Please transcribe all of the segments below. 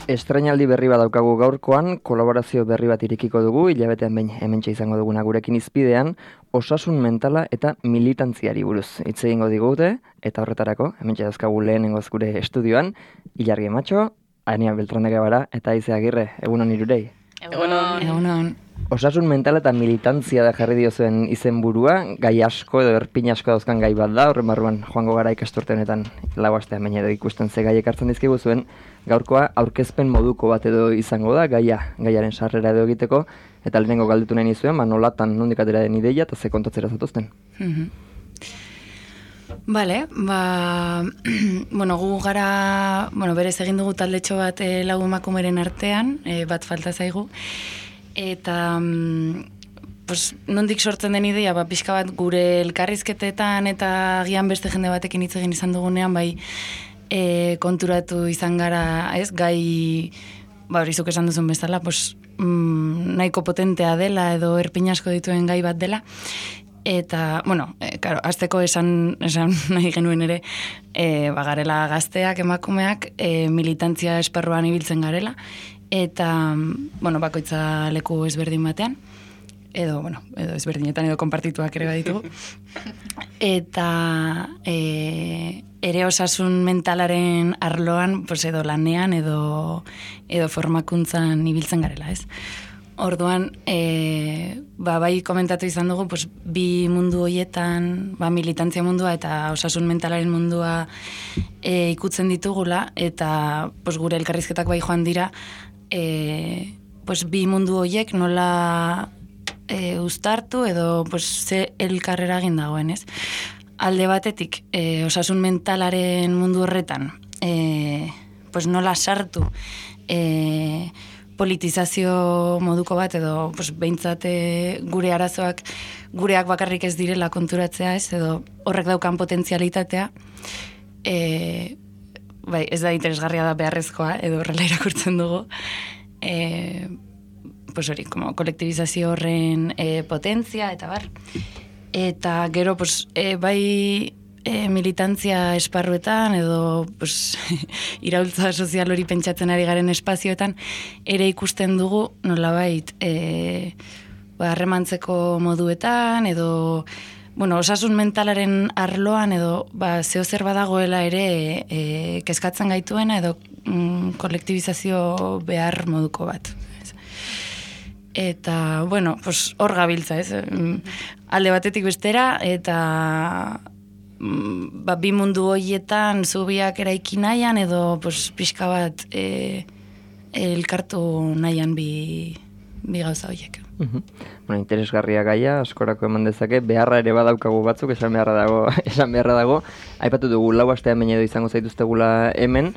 Estrainaldi berri bat daukagu gaurkoan, kolaborazio berri bat irekiko dugu, hilabetean behin hementxe izango duguna gurekin izpidean, osasun mentala eta militantziari buruz. Hitz egingo digute, eta horretarako, hementxe dauzkagu lehenengoz gure estudioan, Ilargi Matxo, Ania Beltranega bara, eta Aize Agirre, egunon irurei. Egunon. Osasun mental eta militantzia da jarri diozuen izenburua, gai asko edo erpin asko dauzkan gai bat da, horren barruan joango gara ikasturte honetan lau astean baina edo ikusten ze gaiek hartzen dizkigu zuen, gaurkoa aurkezpen moduko bat edo izango da, gaiaren sarrera edo egiteko, eta lehenengo galdetu nahi nizuen, nolatan nondik atera den ideia eta ze kontatzera zatuzten. Bale, gu gara, berez egin dugu taldetxo bat lau emakumeren artean, bat falta zaigu, eta nondik sortzen den ideia, pixka bat gure elkarrizketetan eta agian beste jende batekin hitz egin izan dugunean, konturatu izan gara, ez, gai, horizuk esan duzun bezala, nahiko potentea dela edo erpin asko dituen gai bat dela, eta, azteko esan nahi genuen ere, garela gazteak, emakumeak, militantzia esparruan ibiltzen garela, eta, bakoitza leku ezberdin batean, edo ezberdinetan edo konpartituak ere baditugu. Eta ere osasun mentalaren arloan, edo lanean, edo formakuntzan ibiltzen garela, ez? Orduan, bai komentatu izan dugu, bi mundu horietan, militantzia mundua eta osasun mentalaren mundua ikutzen ditugula, eta gure elkarrizketak bai joan dira, bi mundu horiek nola uztartu edo ze elkarrera egin dagoen, ez? Alde batetik, osasun mentalaren mundu horretan, nola sartu politizazio moduko bat edo behintzat gure arazoak gureak bakarrik ez direla konturatzea, ez? Edo horrek daukan potentzialitatea, ez da interesgarria da beharrezkoa, edo horrela irakurtzen dugu, kolektibizazio horren potentzia, eta bar. Eta gero, bai militantzia esparruetan, edo iraultza sozial hori pentsatzen ari garen espazioetan, ere ikusten dugu nolabait harremantzeko moduetan, edo osasun mentalaren arloan, edo zeo zer badagoela ere kezkatzen gaituena, edo kolektibizazio behar moduko bat. Eta, hor gabiltza, ez? Alde batetik bestera, eta bi mundu horietan zubiak eraiki nahian, edo pixka bat elkartu nahian bi gauza horiek. Interesgarria gaia, askorako eman dezake, beharra ere badaukagu batzuk, esan beharra dago. Aipatu dugu, lau astean baina edo izango zaituztegula hemen,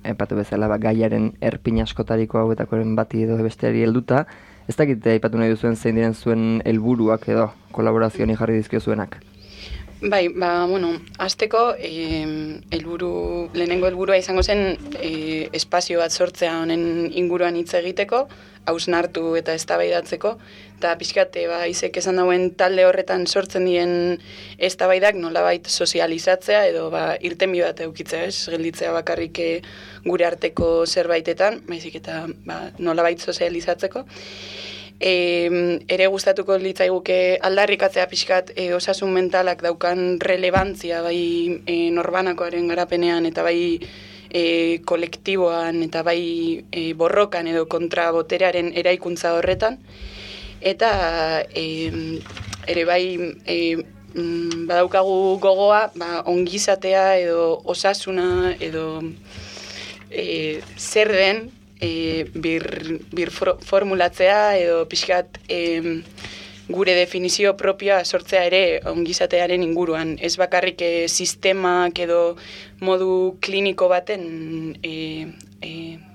aipatu bezala gaiaren erpin askotariko hauetakoren bati edo besteari helduta. Ez dakit aipatu nahi duzuen zein diren zuen helburuak edo kolaborazioan jarri dizkio zuenak? Bai, hasteko lehenengo helburua izango zen espazio bat sortzea honen inguruan hitz egiteko, hausnartu eta eztabaidatzeko, eta pixkat Aizek esan dauen talde horretan sortzen dien eztabaidak nolabait sozializatzea edo irtenbide bat edukitzea, ez gelditzea bakarrik gure arteko zerbaitetan, baizik eta nolabait sozializatzeko. Ere gustatuko litzaiguke aldarrikatzea pixkat osasun mentalak daukan relevantzia bai norbanakoaren garapenean eta bai kolektiboan eta bai borrokan edo kontraboterearen eraikuntza horretan. Eta ere bai badaukagu gogoa ongizatea edo osasuna edo zer den bir formulatzea edo pixkat gure definizio propioa sortzea ere ongizatearen inguruan. Ez bakarrik sistemak edo modu kliniko baten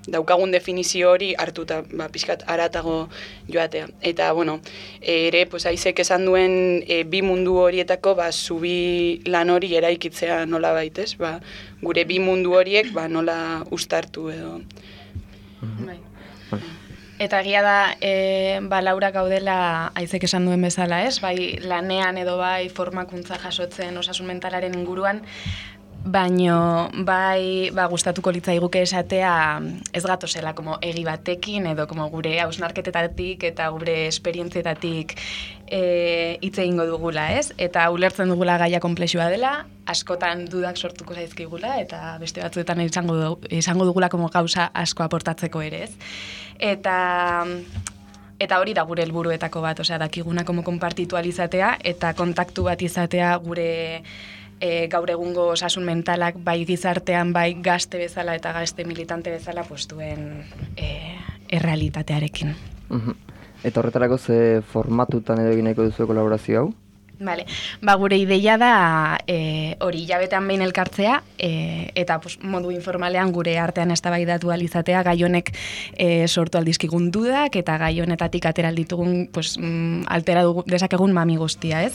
daukagun definizio hori hartuta, pixkat aratago joatea. Eta, bueno, ere, pues, Aizek esan duen bi mundu horietako, zubi lan hori eraikitzea nola baitez, gure bi mundu horiek, nola ustartu edo. Eta egia da, Laura gaudela Aizek esan duen bezala, ez? Bai lanean edo bai formakuntza jasotzen osasun mentalaren inguruan, baino bai gustatuko litzaiguke esatea ez gatozela como egi batekin edo como gure hausnarketetatik eta gure esperientzietatik hitz egingo dugula, ez? Eta ulertzen dugula gaia konplexua dela, askotan dudak sortuko zaizkigula eta beste batzuetan izango dugula como gauza asko aportatzeko ere, ez? Eta hori da gure helburuetako bat, osea, dakiguna como konpartitualizatea eta kontaktu bat izatea gure gaur egungo osasun mentalak bai gizartean, bai gazte bezala eta gazte militante bezala duen errealitatearekin. Eta horretarako ze formatutan edo egin nahiko duzu kolaborazio hau? Vale. Gure ideia da hori hilabetean behin elkartzea eta modu informalean gure artean eztabaidatu ahal izatea gai honek sortu aldizkigun dudak eta gai honetatik atera ditugun altera dezakegun mami guztia, ez?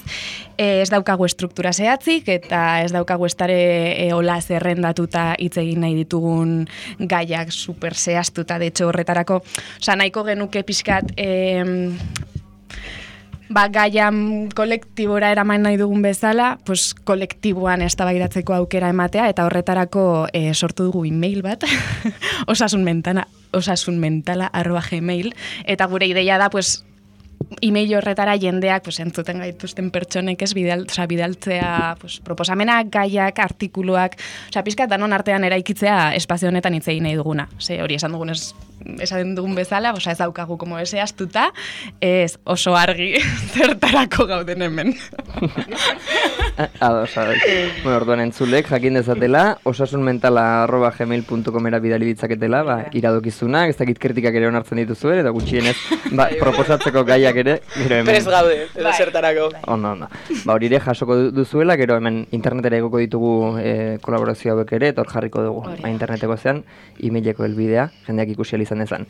Ez daukagu estruktura zehatzik eta ez daukagu estare hola zerrendatuta hitz egin nahi ditugun gaiak super zehaztuta, de hecho horretarako, nahiko genuke pixkat gaian kolektibora eraman nahi dugun bezala, kolektiboan eztabaidatzeko aukera ematea, eta horretarako sortu dugu e-mail bat, osasunmentala@gmail, eta gure ideia da, e-mail horretara jendeak entzuten gaituzten pertsonek ez bidaltzea proposamenak, gaiak, artikuluak, pizkat danon artean eraikitzea espazio honetan hitz egin nahi duguna. Hori esan dugun bezala, ez daukagu como ese astuta, ez oso argi zertarako gauden hemen. Orduan entzulek jakin dezatela, osasunmentala@gmail.comera bidali ditzaketela, iradokizunak, ez dakit kritikak ere onartzen dituzu eta gutxienez proposatzeko gaiak ere, gero hemen. Prez gaude, edo zertarako. Ondo. Hori ere jasoko duzuela, gero hemen internetera egoko ditugu kolaborazio hauek ere, eta hor jarriko dugu interneteko zean, e-maileko helbidea, jendeak ikusi izan dezan.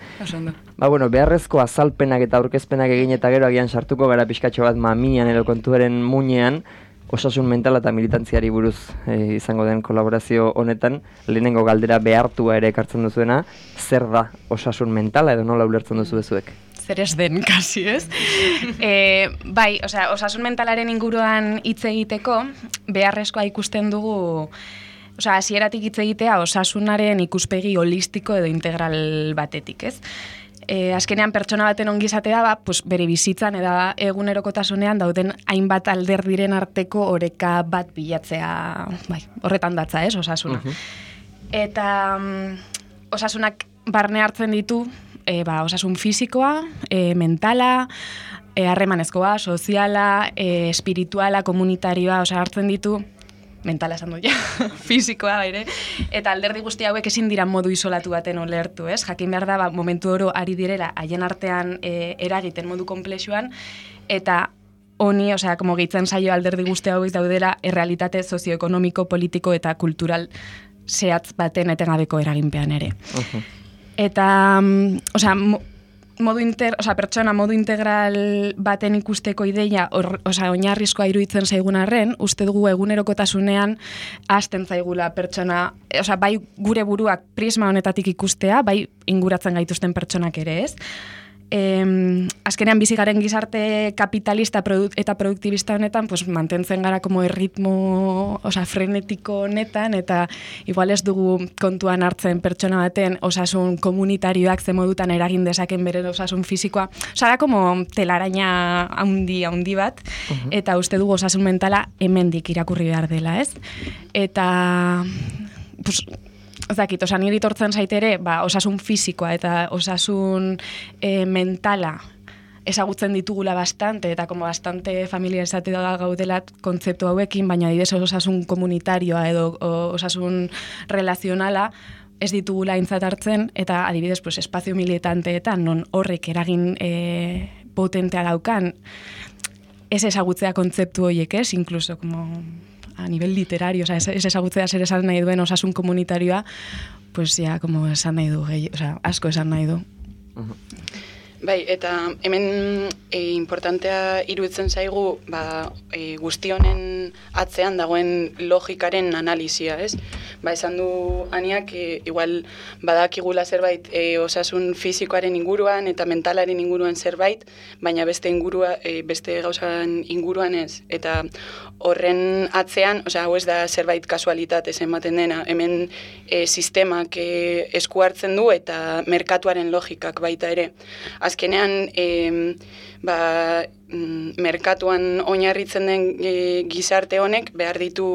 Beharrezko azalpenak eta aurkezpenak egin eta gero agian sartuko gara pixkatxo bat mamian edo kontuaren muinean, osasun mentala eta militantziari buruz izango den kolaborazio honetan, lehenengo galdera behartua ere ekartzen duzuena, zer da osasun mentala edo nola ulertzen duzu bezuek? Zer ez den, kasi, ez? Osasun mentalaren inguruan hitz egiteko, beharrezkoa ikusten dugu, hasieratik hitz egitea osasunaren ikuspegi holistiko edo integral batetik, ez? Azkenean pertsona baten ongizatea da, bere bizitzan eta egunerokotasunean dauden hainbat alderdiren arteko oreka bat bilatzea, horretan datza, ez, osasuna. Eta osasunak barne hartzen ditu, osasun fisikoa, mentala, harremanezkoa, soziala, espirituala, komunitarioa, hartzen ditu, mentala esan du ja, fisikoa ere, eta alderdi guzti hauek ezin dira modu isolatu baten ulertu, ez? Jakin behar da, momentu oro ari direla, haien artean eragiten modu konplexuan, eta honi, como gehitzen zaio alderdi guzti hauek daudela, errealitate sozioekonomiko, politiko eta kultural zehatz baten etengabeko eraginpean ere. Eta, pertsona modu integral baten ikusteko ideia, oinarrizkoa iruditzen zaigun arren, uste dugu egunerokotasunean hasten zaigula pertsona, bai gure buruak prisma honetatik ikustea, bai inguratzen gaituzten pertsonak ere, ez? Azkenean bizi garen gizarte kapitalista eta produktibista honetan, mantentzen gara como erritmo, frenetiko honetan, eta igual ez dugu kontuan hartzen pertsona baten osasun komunitarioak ze modutan eragin dezaken bere osasun fisikoa. Da como telaraina handi bat, eta uste dugu osasun mentala hemendik irakurri behar dela, ez? Eta, niri tortzen zaitere, osasun fisikoa eta osasun mentala ezagutzen ditugula bastante, eta como bastante familiarizatua gaudela kontzeptu hauekin, baina adibidez osasun komunitarioa edo osasun relazionala ez ditugula aintzat hartzen, eta adibidez espazio militanteetan non horrek eragin potentea daukan, ez ezagutzea kontzeptu horiek, ez? Incluso, como a nivel literario, ez ezagutzea zer esan nahi duen osasun komunitarioa, pues ya, como esan nahi du, asko esan nahi du. Bai, eta hemen importantea iruditzen zaigu guzti honen atzean dagoen logikaren analisia, ez? Esan du Aniak, igual badakigula zerbait osasun fisikoaren inguruan eta mentalaren inguruan zerbait, baina beste gauzan inguruan ez. Eta horren atzean, hau ez da zerbait kasualitatez ematen dena, hemen sistemak esku hartzen du eta merkatuaren logikak baita ere. Azkenean, merkatuan oinarritzen den gizarte honek behar ditu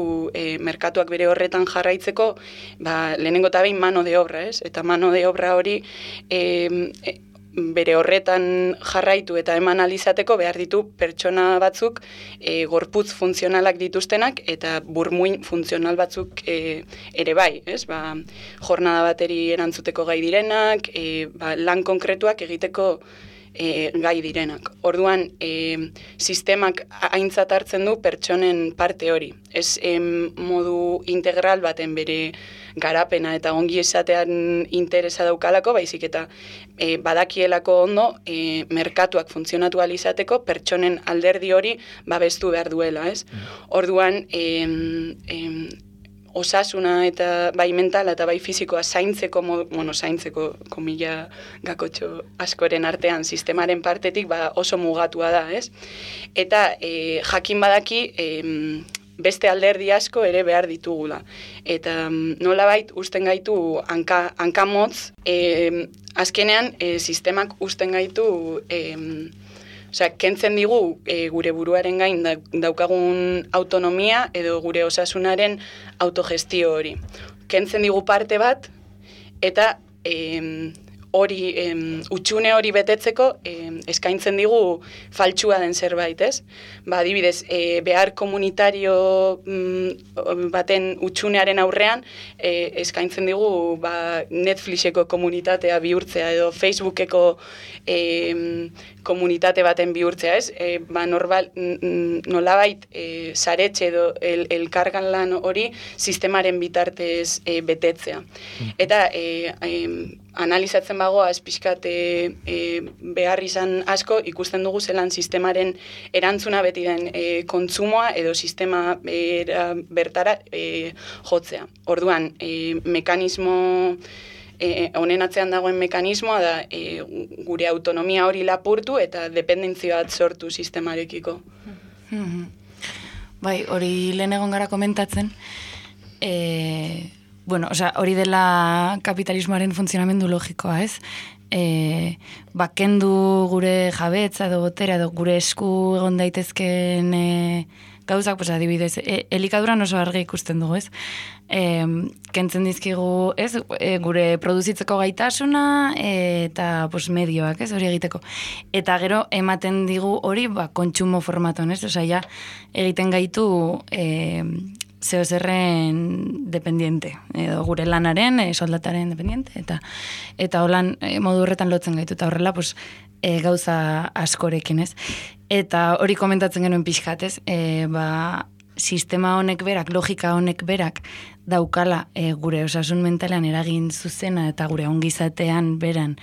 merkatuak bere horretan jarraitzeko, lehenengo eta behin mano de obra, ez? Eta mano de obra hori bere horretan jarraitu eta eman alizateko behar ditu pertsona batzuk gorputz funtzionalak dituztenak eta burmuin funtzional batzuk ere bai, ez? Jornada bateri erantzuteko gai direnak, lan konkretuak egiteko gai direnak. Orduan, sistemak aintzat hartzen du pertsonen parte hori. Ez modu integral baten bere garapena eta ongi esatean interesa daukalako, baizik eta badakielako ondo merkatuak funtzionatu alizateko pertsonen alderdi hori babestu behar duela, ez? Orduan, osasuna eta bai mentala eta bai fizikoa zaintzeko, zaintzeko komila gakotxo askoren artean sistemaren partetik oso mugatua da, ez? Eta jakin badaki beste alderdi asko ere behar ditugula. Eta nolabait usten gaitu hankamotz, azkenean sistemak usten gaitu kentzen digu gure buruaren gain daukagun autonomia edo gure osasunaren autogestio hori. Kentzen digu parte bat eta utxune hori betetzeko eskaintzen digu faltsua den zerbait, ez? Adibidez, behar komunitario baten utxunearen aurrean eskaintzen digu Netflixeko komunitatea bihurtzea edo Facebookeko komunitate baten bihurtzea, ez? Nolabait saretxe edo elkargan lan hori sistemaren bitartez betetzea. Eta analizatzen bagoaz pixkat behar izan asko, ikusten dugu zelan sistemaren erantzuna beti den kontsumoa edo sistema bertara jotzea. Orduan, mekanismo honen atzean dagoen mekanismoa da gure autonomia hori lapurtu eta dependentzia bat sortu sistemarekiko. Bai, hori lehen egon gara komentatzen, hori dela kapitalismoaren funtzionamendu logikoa, ez? Kendu gure jabetza edo botera edo gure esku egon daitezken gauzak, adibidez, elikaduran oso argi ikusten dugu, ez? Kentzen dizkigu, ez? Gure produzitzeko gaitasuna eta medioak, ez? Hori egiteko. Eta gero ematen digu hori kontsumo formatuan, ez? Ja, egiten gaitu zeozerren dependiente, edo gure lanaren, soldataren dependiente, eta holan modu horretan lotzen gaitu, eta horrela gauza askorekin, ez? Eta hori komentatzen genuen pixkat, ez? Sistema honek berak, logika honek berak daukala gure osasun mentalean eragin zuzena eta gure ongizatean beran,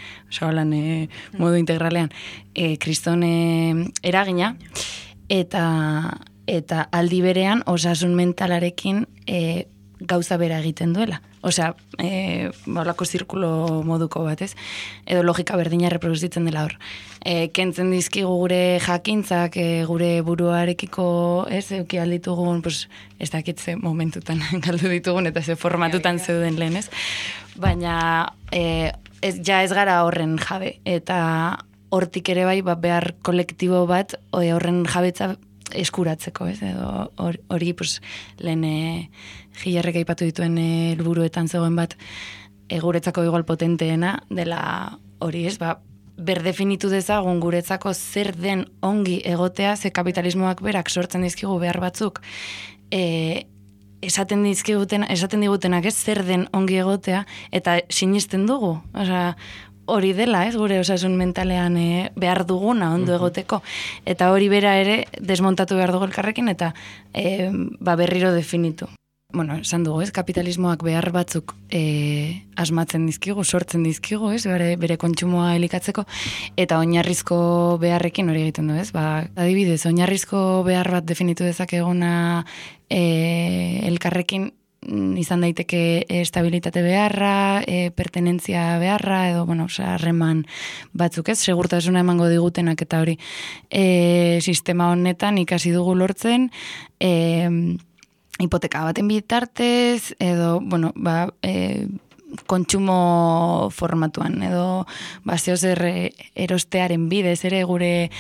modu integralean, kriston eragina, eta aldi berean osasun mentalarekin gauza bera egiten duela. Olako zirkulo moduko bat, ez? Edo logika berdina reproduzitzen dela hor. Kentzen dizkigu gure jakintzak, gure buruarekiko, ez, euki alditugun, ez dakitze momentutan galdu ditugun, eta ze formatutan zeuden lehen, ez? Baina, ez gara horren jabe. Eta hortik ere bai, behar kolektibo bat, horren jabetza eskuratzeko, ez? Edo hori, lehen Gilarrek aipatu dituen helburuetan zegoen bat guretzako igual potenteena dela hori, ez? Berdefinitu dezagun guretzako zer den ongi egotea, ze kapitalismoak berak sortzen dizkigu behar batzuk esaten digutenak ez zer den ongi egotea, eta sinisten dugu. hori dela, ez, gure osasun mentalean behar duguna ondo egoteko. Eta hori bera ere desmontatu behar dugu elkarrekin eta berriro definitu. Bueno, esan dugu, ez, kapitalismoak behar batzuk asmatzen dizkigu, sortzen dizkigu, ez, bere kontsumoa elikatzeko, eta oinarrizko beharrekin hori egiten du, ez, adibidez, oinarrizko behar bat definitu dezakeguna elkarrekin izan daiteke estabilitate beharra, pertenentzia beharra, edo, harreman batzuk, ez, segurtasuna emango digutenak eta hori sistema honetan ikasi dugu lortzen, hipoteka baten bitartez, edo, kontsumo formatuan, edo, zeozer erostearen bidez ere gure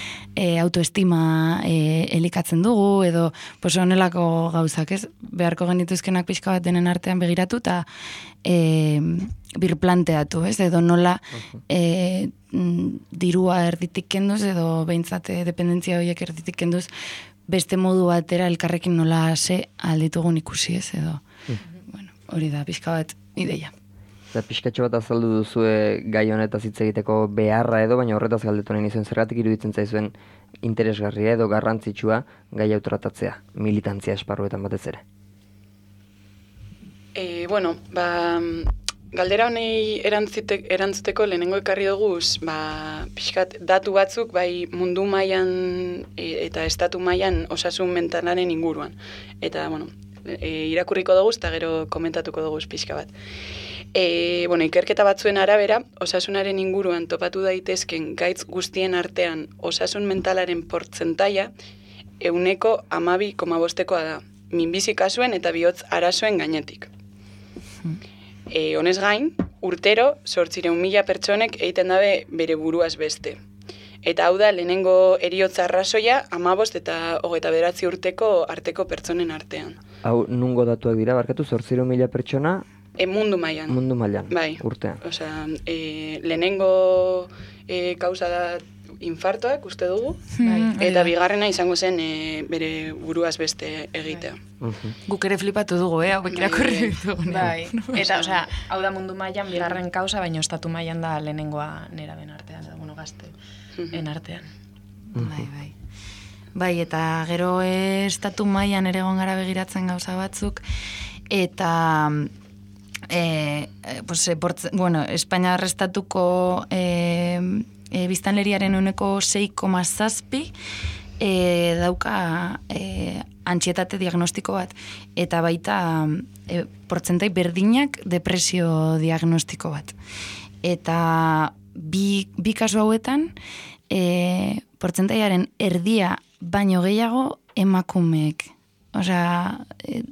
autoestima elikatzen dugu, edo, honelako gauzak, ez? Beharko genituzkenak pixka bat denen artean begiratu, eta birplanteatu, ez? Edo nola dirua erditik kenduz, edo behintzat dependentzia horiek erditik kenduz, beste modu batera elkarrekin nola alditugun ikusi, ez, edo, hori da, pixka bat ideia. Eta pixkatxo bat azaldu duzue gai honetaz hitz egiteko beharra edo, baina horretaz galdetu nahi nizuen zergatik iruditzen zaizuen interesgarria edo garrantzitsua gai hau tratatzea, militantzia esparruetan batez ere. Galdera honei erantzuteko lehenengo ekarri dugu, pixkat datu batzuk bai mundu mailan eta estatu mailan osasun mentalaren inguruan. Eta, irakurriko dugu eta gero komentatuko dugu pixka bat. Ikerketa batzuen arabera, osasunaren inguruan topatu daitezken gaitz guztien artean osasun mentalaren portzentaia 12,5koa da, minbizi kasuen eta bihotz arazoen gainetik. Honez gain, urtero 800.000 pertsonek egiten dabe bere buruaz beste. Eta hau da, lehenengo heriotza arrazoia 15 eta 29 urteko arteko pertsonen artean. Hau nungo datuak dira, barkatu 800.000 pertsona? Mundu mailan. Mundu mailan, bai. Urtean. Osea, lehenengo kausa da infartoak, uste dugu, eta bigarrena izango zen bere buruaz beste egitea. Guk ere flipatu dugu, hauek irakurri ditugu. Bai, eta, hau da mundu mailan bigarren kausa, baina estatu mailan da lehenengoa neraben artean, edo, gazteen artean. Bai, eta gero estatu mailan ere egon gara begiratzen gauza batzuk, eta Espainiar estatuko biztanleriaren 6,7 dauka antsietate diagnostiko bat, eta baita portzentai berdinak depresio diagnostiko bat. Eta bi kasu hauetan portzentaiaren erdia baino gehiago emakumeek. Osea,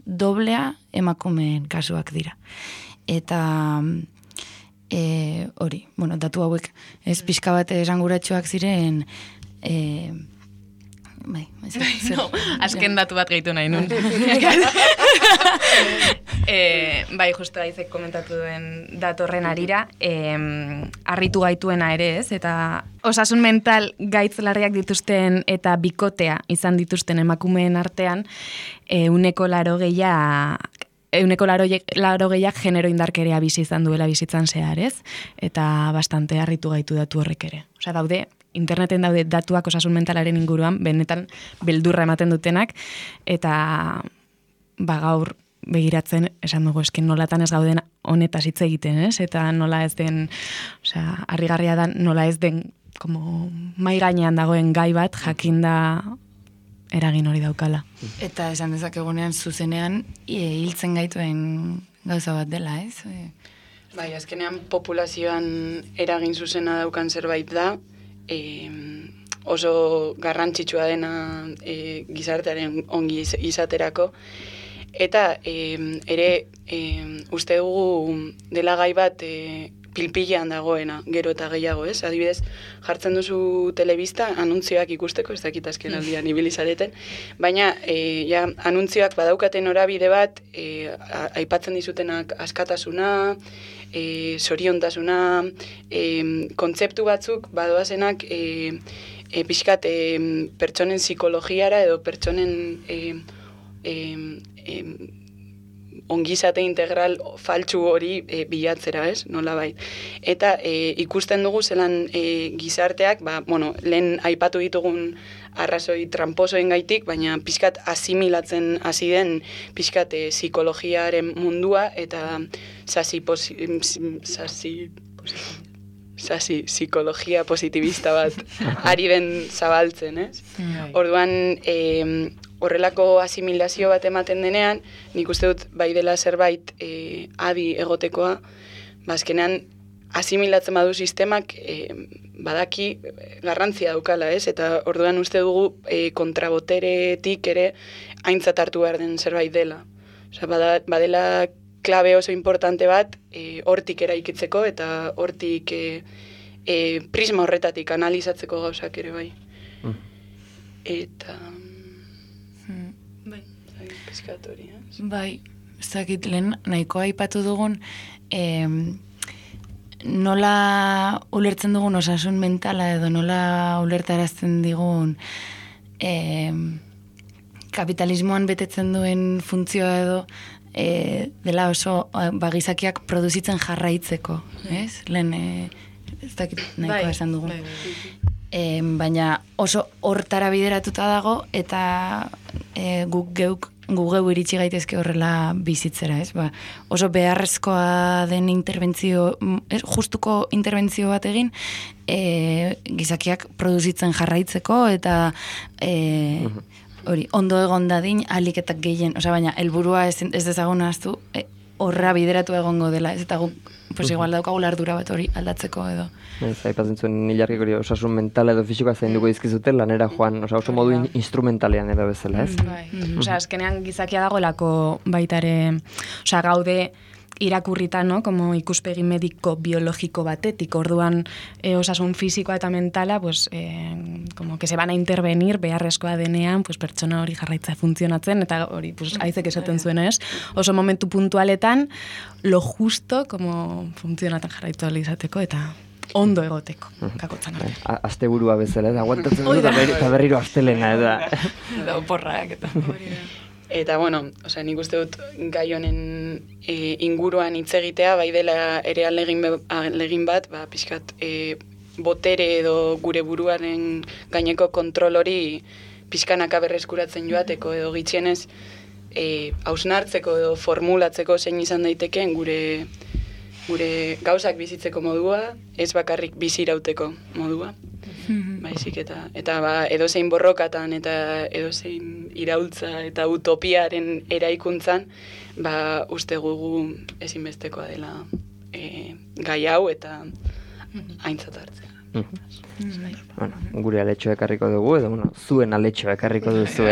doblea emakumeen kasuak dira. Eta hori, datu hauek ez pixka bat esanguratsuak ziren azken datu bat gehitu nahi nun. Bai, justu gaizek komentatu duen datorren arira, harritu gaituena ere ez, eta osasun mental gaitz larriak dituzten eta bikotea izan dituzten emakumeen artean, 80% genero indarkeria bizi izan duela bizitzan zehar, ez? Eta bastante harritu gaitu datu horrek ere. Osea, interneten daude datuak osasun mentalaren inguruan, benetan beldurra ematen dutenak, eta gaur begiratzen, esan dugu, eskin nolatan ez gauden honetaz hitz egiten, ez? Eta nola ez den, harrigarria da, nola ez den, mai gainean dagoen gai bat, jakinda eragin hori daukala. Eta esan dezakegunean zuzenean hiltzen gaituen gauza bat dela, ez? Bai, azkenean populazioan eragin zuzena daukan zerbait da, oso garrantzitsua dena gizartearen ongi izaterako, eta ere uste dugu dela gai bat pilpilean dagoena, gero eta gehiago, ez? Adibidez, jartzen duzu telebista, anuntzioak ikusteko, ez dakit azken aldian ibili zareten, baina anuntzioak badaukaten norabide bat, aipatzen dizutenak askatasuna, zoriontasuna, kontzeptu batzuk badoazenak pixkat pertsonen psikologiara edo pertsonen ongizate integral faltsu hori bilatzera, ez? Nolabait. Eta ikusten dugu zelan gizarteak, lehen aipatu ditugun arrazoi tramposoen gaitik, baina pixkat asimilatzen hasi den pixkat psikologiaren mundua eta psikologia positivista bat ari den zabaltzen, ez? Orduan, horrelako asimilazio bat ematen denean, nik uste dut bai dela zerbait adi egotekoa, azkenean asimilatzen badu sistemak badaki garrantzia daukala, ez? Eta orduan uste dugu kontraboteretik ere aintzat hartu behar den zerbait dela. Osea, badela klabe oso importante bat hortik eraikitzeko eta hortik prisma horretatik analizatzeko gauzak ere bai. Eta... Piskatori, ez? Bai, ez dakit lehen nahiko aipatu dugun nola ulertzen dugun osasun mentala edo nola ulertarazten digun kapitalismoan betetzen duen funtzioa edo dela oso gizakiak produzitzen jarraitzeko, ez? Lehen ez dakit nahikoa esan dugun. Baina oso hortara bideratuta dago eta guk geu iritsi gaitezke horrela bizitzera, ez? Oso beharrezkoa den interbentzio, justuko interbentzio bat egin, gizakiak produzitzen jarraitzeko eta hori, ondo egon dadin aliketak gehien, baina helburua ez dezagun ahaztu, horra bideratu egongo dela, ez? Eta guk, igual daukagula ardura bat hori aldatzeko edo. Aipatzen zuen ilarkik hori osasun mentala edo fisikoa zainduko dizkizute lanera joan, oso modu instrumentalean edo bezala, ez? Azkenean gizakia dagoelako baitare, gaude irakurrita, no, como ikuspegi mediko biologiko batetik, orduan osasun fisikoa eta mentala, pues, como que se van a intervenir beharrezkoa denean, pues, pertsona hori jarraitza funtzionatzen, eta hori, pues, aizek esaten zuen, ez? Oso momentu puntualetan, lo justo, como funtzionatzen jarraitu izateko, eta ondo egoteko, kakotzan. Asteburua bezala, aguantatzen dut, eta berriro astelena, eta... Da, porrak, eta... Eta, nik uste dut gai honen inguruan hitz egitea, bai dela ere alegin bat, pixkat botere edo gure buruaren gaineko kontrol hori pixkanaka berreskuratzen joateko edo gitxienez hausnartzeko edo formulatzeko zein izan daitekeen gure gauzak bizitzeko modua, ez bakarrik bizirauteko modua. Baizik eta edozein borrokatan eta edozein iraultza eta utopiaren eraikuntzan, uste gugu ezinbestekoa dela gai hau eta aintzat hartzea. Gure aletxoa ekarriko dugu, edo zuen aletxoa ekarriko duzu,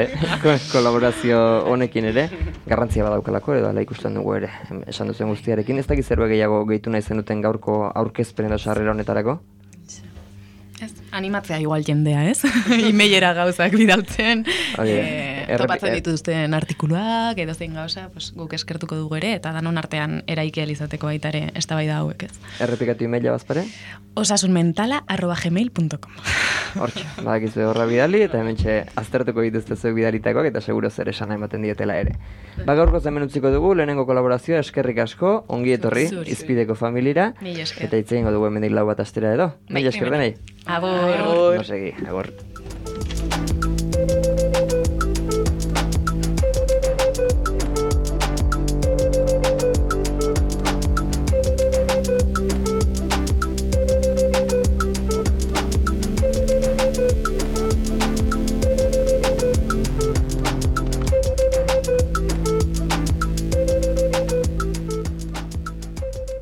kolaborazio honekin ere, garrantzia badaukalako, edo ala ikusten dugu ere, esan duzen guztiarekin. Ez dakiz zerbait gehiago gehitu nahi zenuten gaurko aurkezpen edo sarrera honetarako? Animatzea igual jendea, ez? Emailera gauzak bidaltzen, topatzen dituzten artikuluak, edo zein gauza, guk eskertuko dugu ere, eta danon artean eraiki izateko baita ere eztabaida hauek, ez? Errepikatu emaila bazpare? osasunmentala@gmail.com. Hortxe, badakizu horra bidali, eta hementxe aztertuko dituzte zuek bidalitakoak, eta seguro zer esan ematen dietela ere. Gaurko hemen utziko dugu, lehenengo kolaborazioa, eskerrik asko, ongi etorri, Izpideko familira, eta hitz egingo dugu hemendik 4 astera edo. Mila esker denei. Agur. No segi, agur.